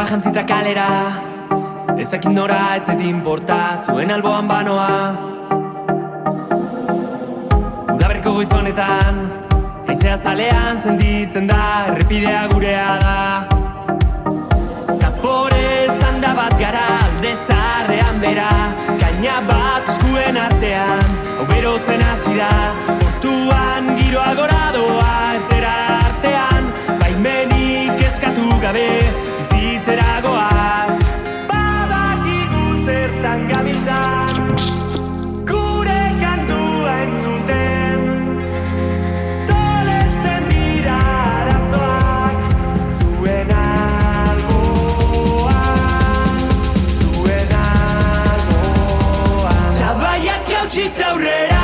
Alaba jantzita kalera, ezakin nora etzet inporta, zuen alboan banoa. Udaberriko goizonetan, haizea zalean senditzen da, errepidea gurea da. Zapore zanda bat gara, alde zaharrean bera, kaina bat eskuen artean, hau berotzen hasi da, portuan giroa gora doa, ertera artean, baimenik eskatu gabe, bizitzera goaz. Badakigu zertan gabiltzan, gure kantua entzuten, tolesten dira arazoak, zuen alboan, zuen alboan. Zabaiak jautxita aurrera.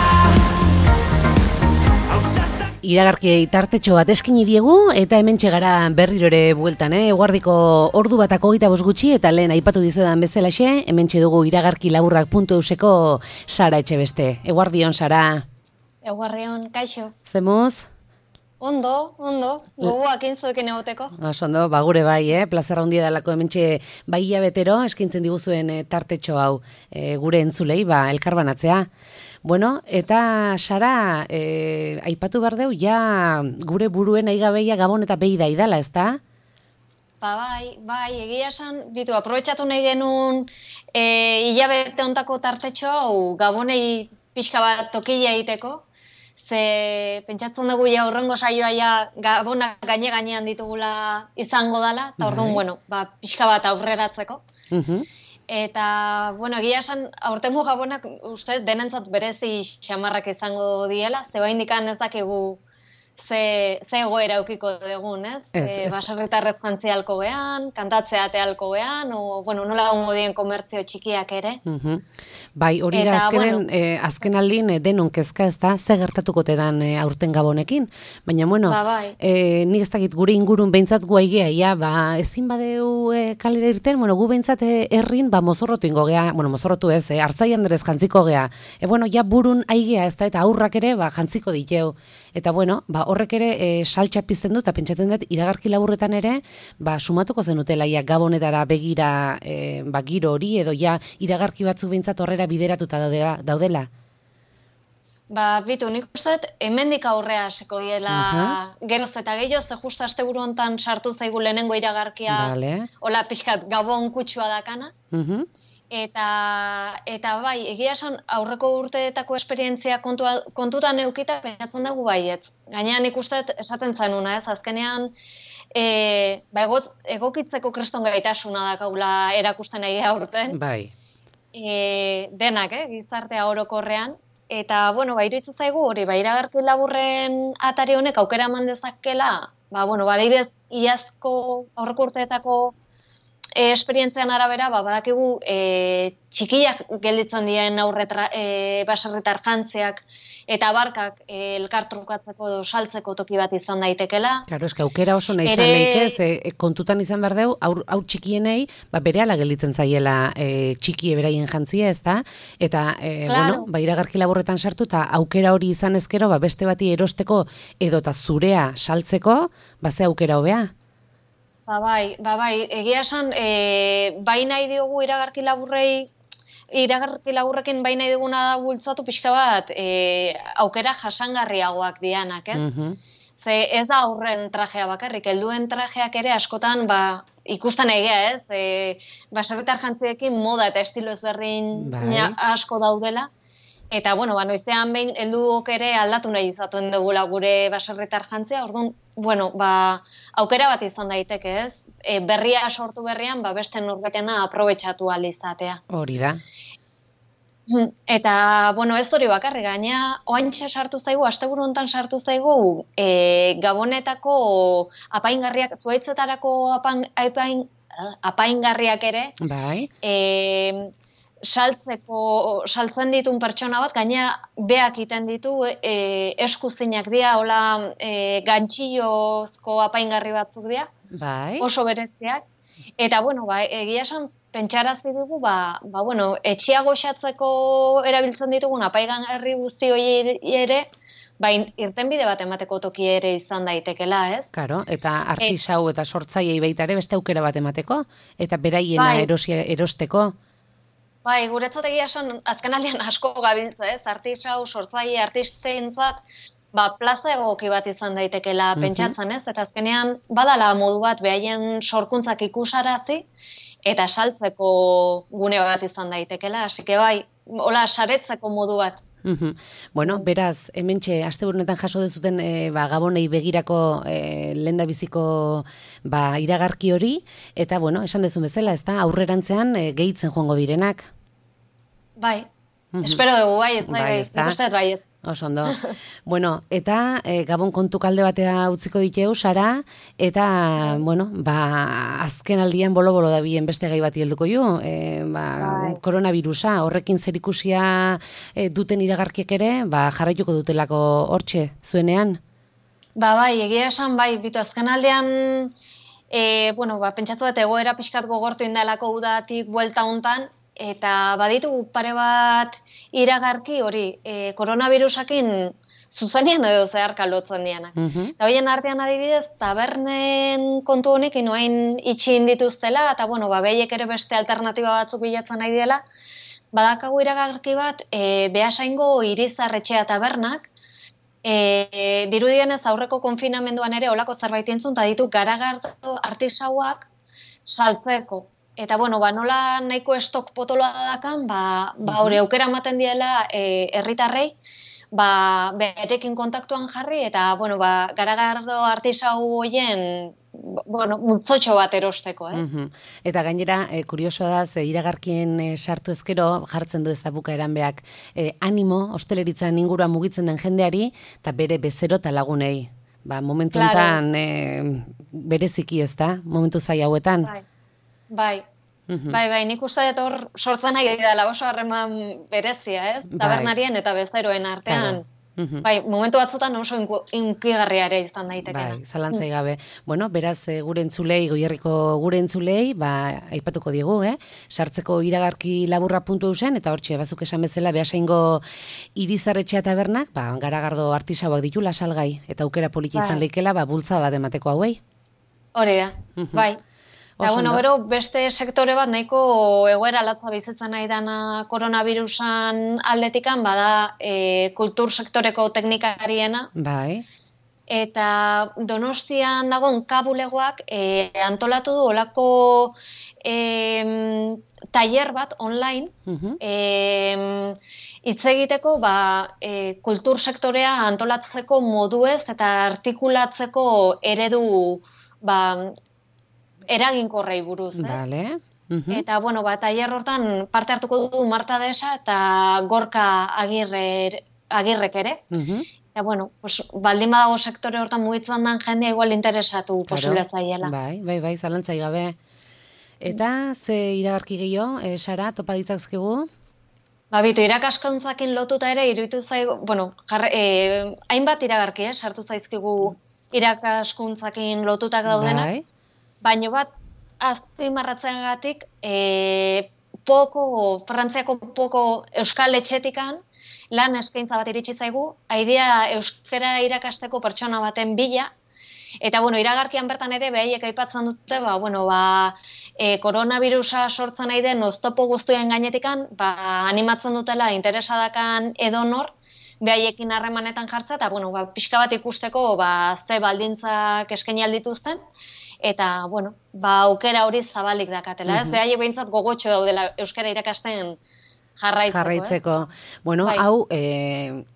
Iragarkiei tartetxo bat eskini diegu eta hementxe gara berriro ere bueltan, eguardiko ordu batako 25 gutxi eta lehen aipatu dizudan bezalaxe, hementxe dugu iragarkilaburrak.euseko Sara Etxebeste. Eguardion, Sara. Eguardion, kaixo. Zemuz? Ondo, gogoak intzuekin egoteko. Ondo, gure bai, plazerra handia dalako hementxe bai hilabetero eskintzen diguzuen tartetxo hau gure entzulei, elkarbanatzea. Bueno, eta Sara, aipatu behar deu, ja gure buruen aigabeia Gabon eta behi daidala, ezta? Bai, egia esan, bitu, aprobetxatu nahi genuen hilabete ontako tartetxo hau Gabonei pixka bat tokila egiteko, ze pentsatzen dugu ja urrengo saioa ja Gabonak gainean ditugula izango dela, eta orduan, pixka bat aurreratzeko. Eta, egia esan, aurtengo Gabonak uste denentzat berezi xamarrak izango diela, ze baindikan ez dakigu ze egoera eukiko dugun, ez? Baserritarrez jantzia halko gean, kantatzea halko gean, nola gongo dien komertzio txikiak ere. Bai, hori da azken aldin denon kezka ez da, ze gertatuko tedan aurten Gabonekin. Baina, nik ez dakit gure ingurun behintzat gu aigea, ezin badeu kalera irten, gu behintzat herrin mozorrotu ingo gea, mozorrotu ez, hartzaian derez jantziko gea. Ja burun aigea ez da, eta aurrak ere jantziko diteu. Eta horrek ere saltxa pizten du, eta pentsatzen dut iragarki laburretan ere, sumatuko zenutela Gabonetara begira giro hori, edo iragarki batzu behintzat horrera bideratuta daudela. Bitu, nik uste, hemendik aurrea hasiko diela geroz eta gehiago, ze justu asteburu hontan sartu zaigu lehenengo iragarkia, hola pixkat Gabon kutsua dakana. Eta bai, egia esan aurreko urteetako esperientzia kontutan eukita pentsatzen dugu baiet. Gainean ikusten esaten zanuna, ez? Azkenean, egokitzeko kriston gaitasuna dakaula erakusten egia aurten. Bai. Denak, gizartea orokorrean. Eta, iruditzen zaigu hori, iragarki laburren atari honek aukera eman dezakela, adibidez, iazko aurreko urteetako esperientzian arabera, badakigu txikiak gelditzen dien baserritar jantziak eta barkak elkartrukatzeko edo saltzeko toki bat izan daitekela. Claro, eske aukera oso nahi izan leike, kontutan izan behar deu, hau txikienei, berehala gelditzen zaiela txikie beraien jantzia, ez da? Eta, iragarki laburretan sartu, eta aukera hori izan ezkero, beste bati erosteko edota zurea saltzeko, ze aukera hobea? Bai, egia esan, bai nahi diogu iragarki laburrekin bai nahi diguna da bultzatu pixka bat aukera jasangarriagoak dianak, ez? Ze ez da aurren trajea bakarrik, helduen trajeak ere askotan ikusten egia, ez? Baserritar jantziekin moda eta estilo ezberdin asko daudela. Eta, noizean behin helduok ere aldatu nahi izaten dugula gure baserritar jantzia, orduan, aukera bat izan daiteke, ez? Berria sortu berrian, beste norbetena aprobetxatu ahal izatea. Hori da. Eta, ez hori bakarrik, gaina, oantxe sartu zaigu, asteburu hontan sartu zaigu, Gabonetako apaingarriak, zuaitzetarako apaingarriak ere, saltzen ditun pertsona bat, gaina beak iten ditu, eskuzinak dira, hola gantxillozko apaingarri batzuk dira, oso bereziak. Eta, egia esan, pentsarazi dugu, etxea goxatzeko erabiltzen ditugun apaigangarri guzti hori ere, irtenbide bat emateko toki ere izan daitekela, ez? Karo, eta artisau eta sortzaiei baita ere beste aukera bat emateko, eta beraiena erosteko. Bai, guretzat egia esan, azkenaldian asko gabiltza, ez? Artisau, sortzaile, artisteentzat, plaza egoki bat izan daitekela pentsatzen, ez? Eta azkenean, badala modu bat behaien sorkuntzak ikusarazi, eta saltzeko gune bat izan daitekela, hasi que bai, hola, saretzeko modu bat. Bueno, beraz, hementxe, asteburunetan jaso dezuten Gabonei begirako lehendabiziko iragarki hori, eta, bueno, esan dezun bezala, ez da, aurrerantzean gehitzen joango direnak. Bai, espero dugu, bai, ez. Oso ondo. Bueno, eta Gabon kontu kalde batea utziko diteu, Sara, eta, bueno, azken aldian bolo-bolo da bien beste gai bati helduko ju, koronavirusa, horrekin zerikusia duten iragarkiek ere, jarraituko dutelako hortxe, zuenean? Bai, egia esan, bai, bitu azken aldean, pentsatu dut egoera pixkat gogortu indalako udatik buelta hontan, eta baditu pare bat iragarki hori, koronavirusakin zuzenean edo zeharka lotzen dianak. Eta horien artean adibidez, tabernen kontu honekin oain itxin dituztela, eta behiek ere beste alternatiba batzuk bilatzen nahi dela, badakagu iragarki bat, Beasaingo Irizarretxea tabernak, dirudienez aurreko konfinamenduan ere olako zerbait entzun, eta ditu garagardo artisauak saltzeko. Eta, nola nahiko estok potoloa dakan, hori aukera ematen diela herritarrei, berekin kontaktuan jarri, eta, garagardo artisau hoien, multzotxo bat erosteko, Eta gainera, kuriosoa da, iragarkien sartu ezkero, jartzen du ez da bukaeran beak, animo, hosteleritzan inguruan mugitzen den jendeari, eta bere bezero eta lagunei. Momentu enten, bereziki ez da, momentu zai hauetan. Bai, nik uste dut hor sortzen nahi dela oso harreman berezia, ez? Tabernarien eta bezeroen artean. Momentu batzutan oso inkigarria ere izan daitekena. Zalantzai gabe. Bueno, beraz, gure entzulei, Goierriko gure entzulei, aipatuko diegu, sartzeko iragarki laburra.eusen, eta hortxe, bazuk esan bezala, Beasaingo Irizarretxea tabernak, garagardo artisauak ditu lasalgai, eta aukera politi izan leikela, bultza bat emateko hauei. Hori da, bai. Eta, gero, beste sektore bat nahiko egoera latza bizitzen nahi dana koronavirusan aldetikan, bada kultur sektoreko teknikariena. Bai. Eta Donostian dagoen kabulegoak antolatu du olako tailer bat online, hitz egiteko kultur sektorea antolatzeko moduez eta artikulatzeko eredu eraginkorrei buruz, Vale. Eta, tailer hortan parte hartuko du Marta Desa eta Gorka Agirrek ere. Eta, baldin badago sektore hortan mugitzen den jendea igual interesatu posibilatzaiela. Bai, zalantzai gabe. Eta, ze iragarki gehiago, Sara, topa ditzakzkigu? Bitu, irakaskuntzakin lotuta ere, iruditu zaigu, hainbat iragarki, sartu zaizkigu irakaskuntzakin lotutak daudenak. Baina bat, azpimarratzeagatik, Frantziako poko euskal etxetikan, lan eskaintza bat iritsi zaigu, haidea euskara irakasteko pertsona baten bila, eta, iragarkian bertan ere, behaiek aipatzen dute, koronavirusa sortzen nahi den oztopo guztuen gainetikan, animatzen dutela interesadakan edonor, behaiekin harremanetan jartza, eta, pixka bat ikusteko, ze baldintzak eskaini aldituzten, eta, aukera hori zabalik dakatela, ez? Behaiek behintzat gogotxo daudela euskara irakasten jarraitzeko. Hau,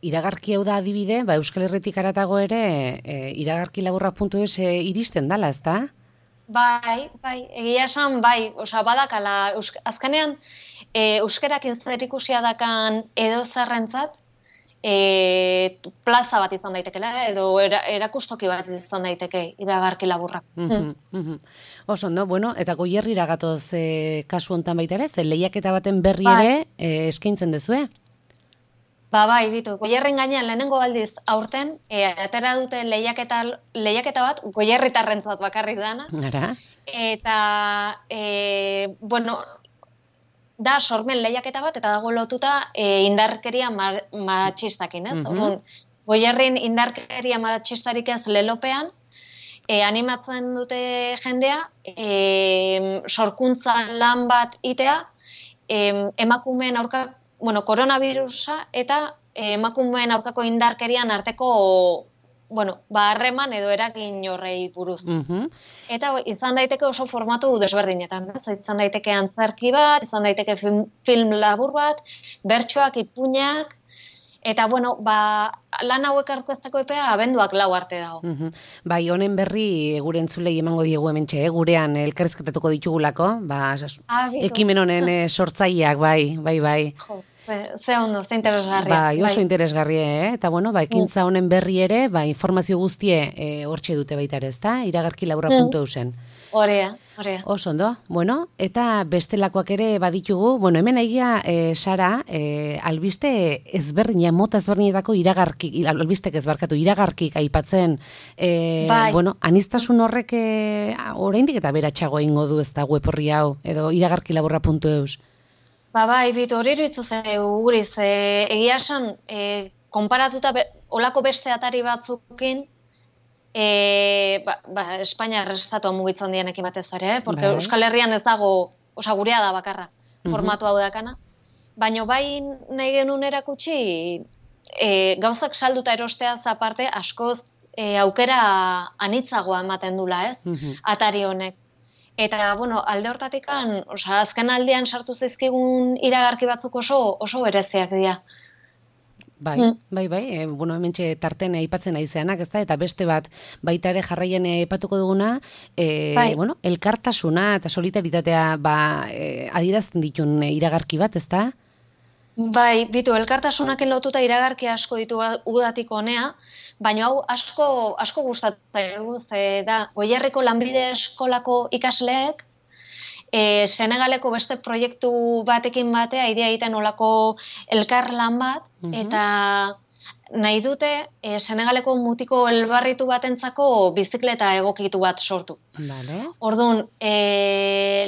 iragarki hau da adibide, Euskal Herritik aratago ere, iragarki laburra.eus iristen dala, ez da? Bai, egia esan, badakala, azkenean, euskarakin zerikusia dakan edo zerrentzat, plaza bat izan daitekela, edo erakustoki bat izan daiteke iragarki laburra. Oso, eta Goierrira gatoz kasu hontan baita ere, lehiaketa baten berri ere eskaintzen dezue? Bai, bitu, Goierren gainean lehenengo aldiz aurten, atera dute lehiaketa bat, Goierritarrentzat bakarrik dana. Eta, da sormen lehiaketa bat, eta dago lotuta indarkeria matxistakin, ez? Goierrin indarkeria matxistarik ez lelopean, animatzen dute jendea, sorkuntza lan bat itea, emakumeen aurka, koronavirusa eta emakumeen aurkako indarkerian arteko harreman edo eragin horrei buruz. Eta izan daiteke oso formatu desberdinetan. Izan daiteke antzerki bat, izan daiteke film labur bat, bertsoak, ipuinak, eta lan hauek aurkezteko epea abenduak 4 arte dago. Bai, honen berri gure entzulei emango diegu hementxe, gurean elkarrizketatuko ditugulako, ekimen honen sortzaileak, bai. Jo. Ze ondo, ze interesgarria. Bai, oso interesgarria, eta ekintza honen berri ere, informazio guztie hortxe dute baita ere, ezta? iragarkilaburra.eusen. Horea. Oso ondo, eta bestelakoak ere baditugu, hemen egia, Sara, albiste ezberdina, mota ezberdinetako iragarkik aipatzen, aniztasun horrek oraindik eta beratxago egingo du ez da web horri hau, edo iragarkilaburra.eus. Bai, bitu hori iritzu guriz, egia esan, konparatuta olako beste atari batzukin, Espainia estatu mugitzen dienekin batez ere, porque Euskal Herrian ez dago, gurea da bakarra, formatu hau dakana, baina bai nahi genuen erakutsi, gauzak salduta erosteaz aparte, askoz aukera anitzagoa ematen dula, atari honek. Eta, alde hortatik, azken aldean sartu zaizkigun iragarki batzuk oso bereziak dira. Bai, hementxe tarten aipatzen aizeanak, ezta? Eta beste bat baita ere jarraien aipatuko duguna, elkartasuna eta solidaritatea adierazten ditun iragarki bat, ezta? Bai, bitu, elkartasunak lotuta iragarki asko ditu udatik honea, baina hau asko gustatzen da, Goierriko lanbide eskolako ikasleek, Senegaleko beste proiektu batekin batea, idea egiten olako elkarlan bat, eta nahi dute Senegaleko mutiko elbarritu batentzako bizikleta egokitu bat sortu. Orduan,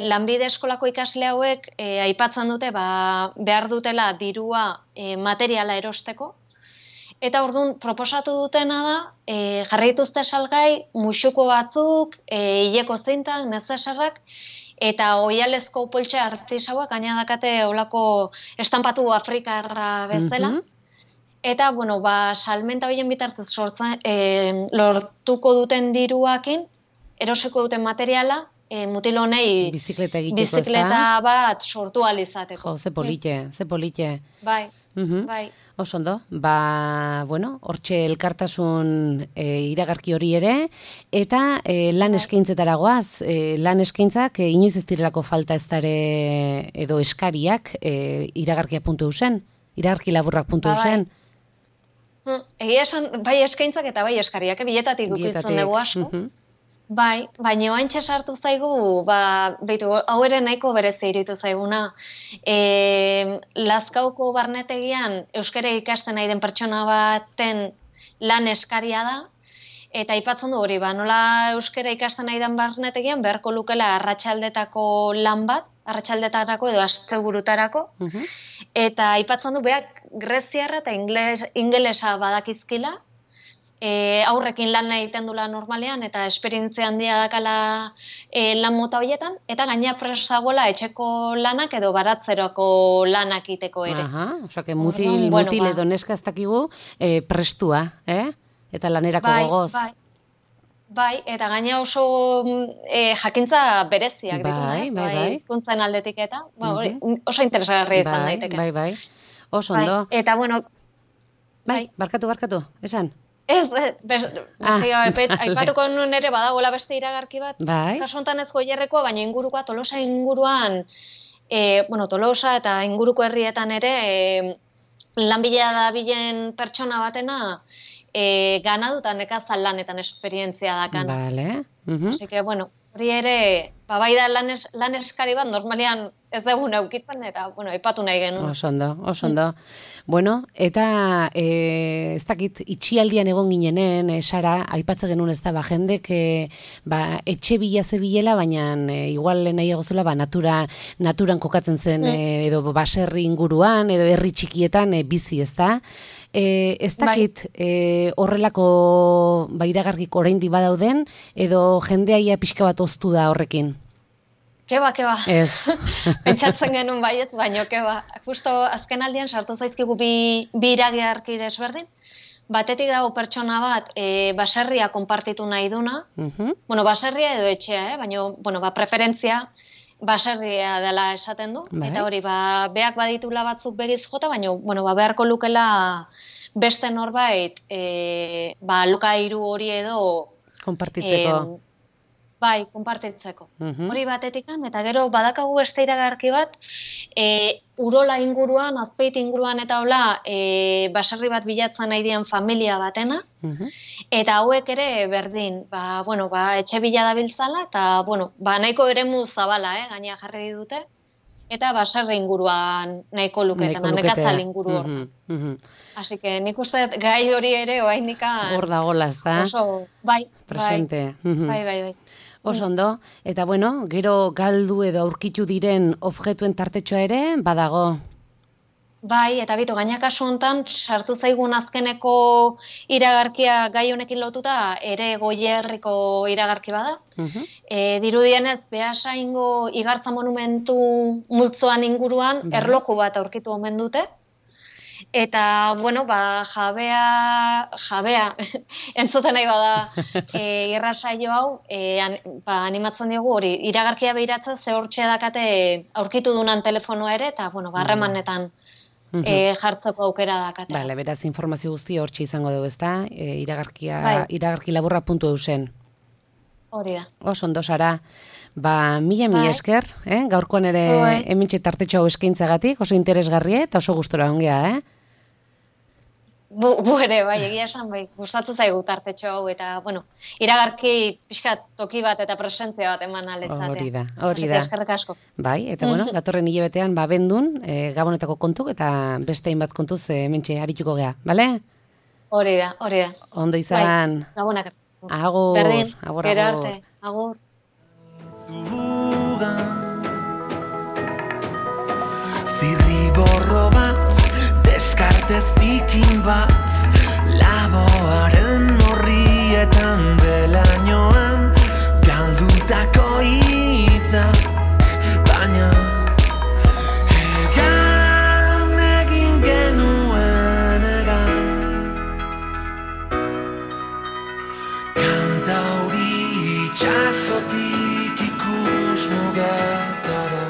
lanbide eskolako ikasle hauek aipatzen dute behar dutela dirua materiala erosteko, eta orduan proposatu dutena da, jarri dituzte salgai musuko batzuk, hileko zeintak, nezesarrak, eta oialezko poltsa artisauak gaina dakate olako estampatu afrikarra bezala. Eta, salmenta horien bitartez lortuko duten diruakin, eroseko duten materiala, mutil honei bizikleta bat sortu alizateko. Jo, ze polite. Bai. Oso ondo, hortxe elkartasun iragarki hori ere, eta lan eskaintzetara goaz, lan eskaintzak inoiz ez direlako falta ez dare edo eskariak iragarkia.eusen, iragarkilaburrak.eusen. Egia esan, bai eskaintzak eta bai eskariak, biletatik dukitzen dugu asko. Bai, baina oantxe sartu zaigu, hau ere nahiko berezi iritu zaiguna. Lazkauko barnetegian euskara ikasten nahi den pertsona baten lan eskaria da, eta aipatzen du hori, nola euskara ikasten nahi den barnetegian beharko lukela arratsaldetako lan bat, arratsaldetarako edo asteburutarako, eta aipatzen du beak greziarra eta ingelesa badakizkila, aurrekin lan egiten dula normalean eta esperientzia handia dakala lan mota horietan, eta gaina presagoela etxeko lanak edo baratzeroko lanak iteko ere. Osea, mutil edo neska ez dakigu prestua, eta lanerako gogoz. Bai, eta gaina oso jakintza bereziak ditu, hizkuntzen aldetik eta, oso interesgarria izan daiteke. Bai, oso ondo. Eta, bai, barkatu, esan? Aipatuko nuen ere badagoela beste iragarki bat, kasontan ez Goierrekoa, baina ingurukoa, Tolosa inguruan, Tolosa eta inguruko herrietan ere, lanbilea da bilen pertsona batena, ganadutan nekazal lanetan esperientzia dakan. Así que, hori ere, bai da lan eskari bat, normalean ez dugun aukitzen, eta, aipatu nahi genuen. Oso ondo. Eta ez dakit, itxialdian egon ginenen, Sara, aipatze genuen ez da, jendek etxe bila zebilela, baina igual nahi egozula, naturan kokatzen zen, edo baserri inguruan, edo herri txikietan bizi, ez da? Ez dakit horrelako iragarkik oraindik badauden, edo jendeaia pixka bat oztu da horrekin? Keba. Ez. Pentsatzen genuen baiet, baino keba. Justo azken aldian sartu zaizkigu bi iragarki desberdin. Batetik dago pertsona bat baserria konpartitu nahi duna. Bueno, baserria edo etxea, baina preferentzia baserria dela esaten du. Eta hori, beak baditula batzuk begiz jota, baina beharko lukela beste norbait lokairu hori edo konpartitzeko. Bai, konpartitzeko. Hori batetikan, eta gero badakagu beste iragarki bat, Urola inguruan, Azpeit inguruan eta hola, baserri bat bilatzen nahi dian familia batena, eta hauek ere berdin, etxe bila dabiltzala, eta nahiko eremu zabala, gaina jarri dute, eta baserri inguruan nahiko luketan, nekatzal inguru hor. Así que nik uste gai hori ere oaindikan... Hor dagoela, ez da? Oso, bai. Presente. Bai. Oso ondo, eta gero galdu edo aurkitu diren objektuen tartetxoa ere, badago? Bai, eta gaina kasu honetan, sartu zaigun azkeneko iragarkia gai honekin lotuta, ere Goierriko iragarki bada. Dirudienez, Beasaingo Igartza monumentu multzoan inguruan, erloju bat aurkitu omen dute. Eta, jabea, entzuten nahi bada irrasaio hau, animatzen diogu hori, iragarkia behiratzen ze hortxe dakate aurkitu dunan telefonoa ere, eta, harremanetan jartzeko aukera dakate. Bale, beraz, informazio guzti hortxe izango dugu, ezta? Iragarkilaburra.eu zen. Hori da. Oso ondo, Sara. Mila esker, gaurkoan ere hementxe tartetxo hau eskaintzagatik, oso interesgarria eta oso gustora ongea, Bu ere, egia esan, gustatu zaigu tartetxo hau, eta, iragarki pixkat toki bat eta presentzia bat eman aletzatea. Hori da. Eskerrik asko. Bai, eta datorren hilabetean bendun, Gabonetako kontuk eta beste hainbat kontuz hementxe arituko gea, bale? Hori da. Ondo izan. Gabonak. Agur. Berdin, gero arte. Agur. Zirriborro bat, deskartez zikin bat, laboaren horrietan belainoan, galdutako hitzak, baina egan egin genuen egan. Kanta hori itxasotik ikus mugetara.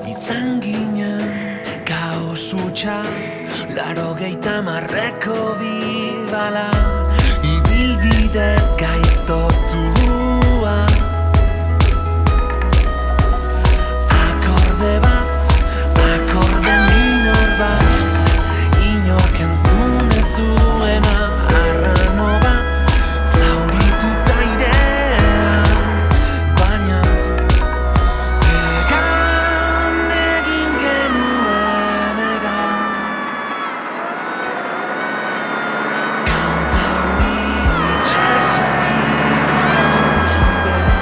Izan ginen kaos hutsa, 80ko bibala, ibilbide gaiztotua. Akorde bat, akorde minor bat, inork entzun ez duena arrano bat, zaurituta airean, baina egan egin genuen egan. Kanta hori itxasotik ikus mugetara.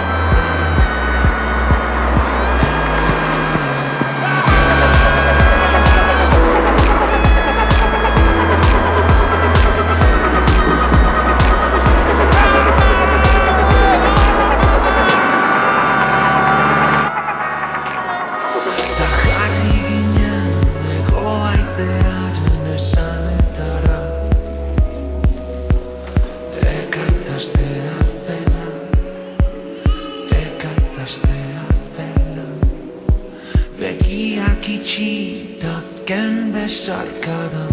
Ta jarri ginen ego haizearen esanetara, ekaitzastea zela, begiak itxi ta azken besarkada.